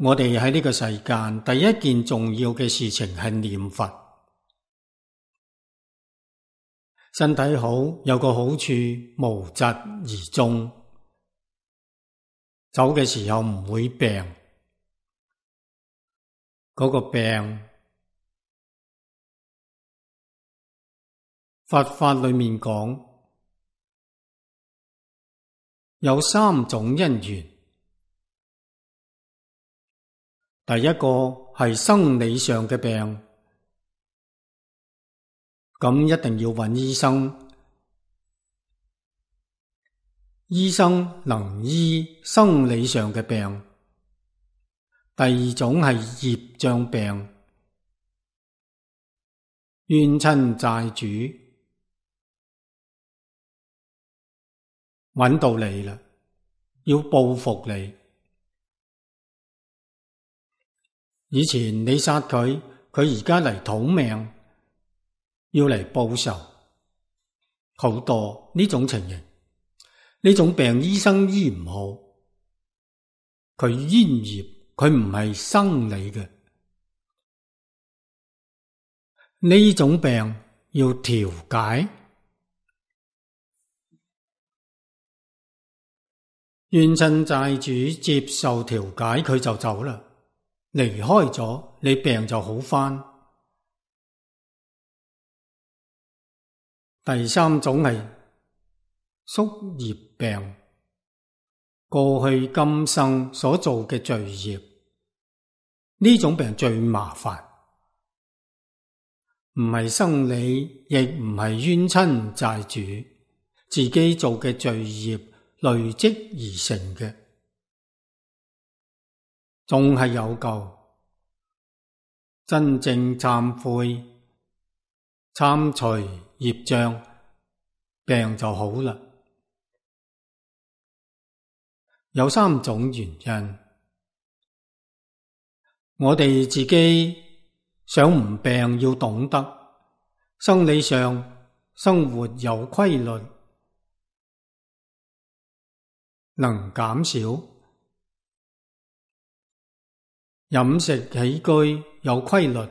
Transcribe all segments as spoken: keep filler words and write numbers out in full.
我哋喺呢個世間第一件重要嘅事情係念佛。身體好有個好處，無疾而終，走嘅時候唔會病。嗰個病，佛法裏面講有三種因緣。第一個係生理上嘅病，咁一定要揾醫生。醫生能醫生理上嘅病。第二種係業障病，冤親債主揾到你啦，要報復你。以前你殺佢，佢而家嚟討命，要嚟報仇，好多呢種情形。呢種病醫生醫唔好，佢冤業，佢唔係生理嘅。呢種病要調解，冤親債主接受調解，佢就走啦。離開咗，你病就好返。第三種係宿業病，過去今生所做嘅罪業，呢種病最麻煩，唔係生理，亦唔係冤親債主，自己做嘅罪業累積而成嘅。仲係有救，真正懺悔、參除業障，病就好啦。有三種原因，我哋自己想唔病，要懂得生理上生活有規律，能減少。飲食起居有規律，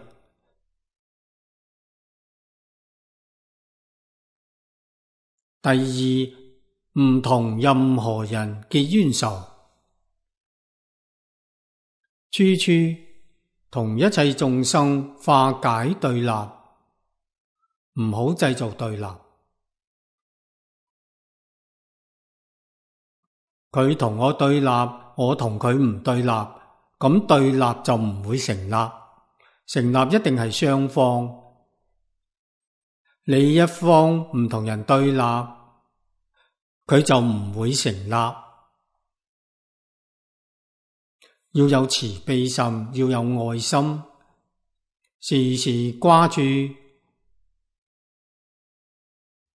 第二，唔同任何人結冤仇，處處同一切眾生化解對立，唔好製造對立。佢同我對立，我同佢唔對立，咁對立就唔會成立，成立一定係雙方。你一方唔同人對立，佢就唔會成立。要有慈悲心，要有愛心，時時掛住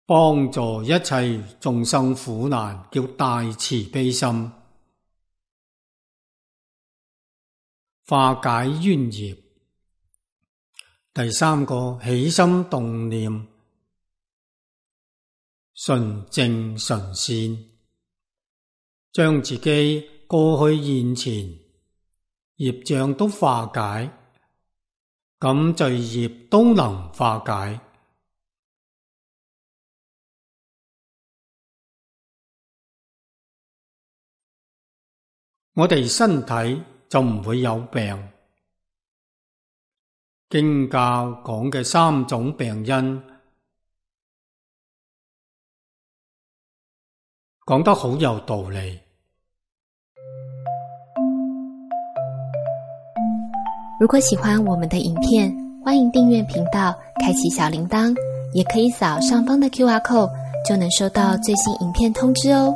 幫助一切眾生苦難，叫大慈悲心。化解冤業。第三個，起心動念純正純善，將自己過去現前業障都化解，咁罪業都能化解。我哋身體就唔會有病。經教講嘅三種病因，講得好有道理。如果喜歡我們的影片，歡迎訂閱頻道，開啟小鈴鐺，也可以掃上方的 Q R code，就能收到最新影片通知哦。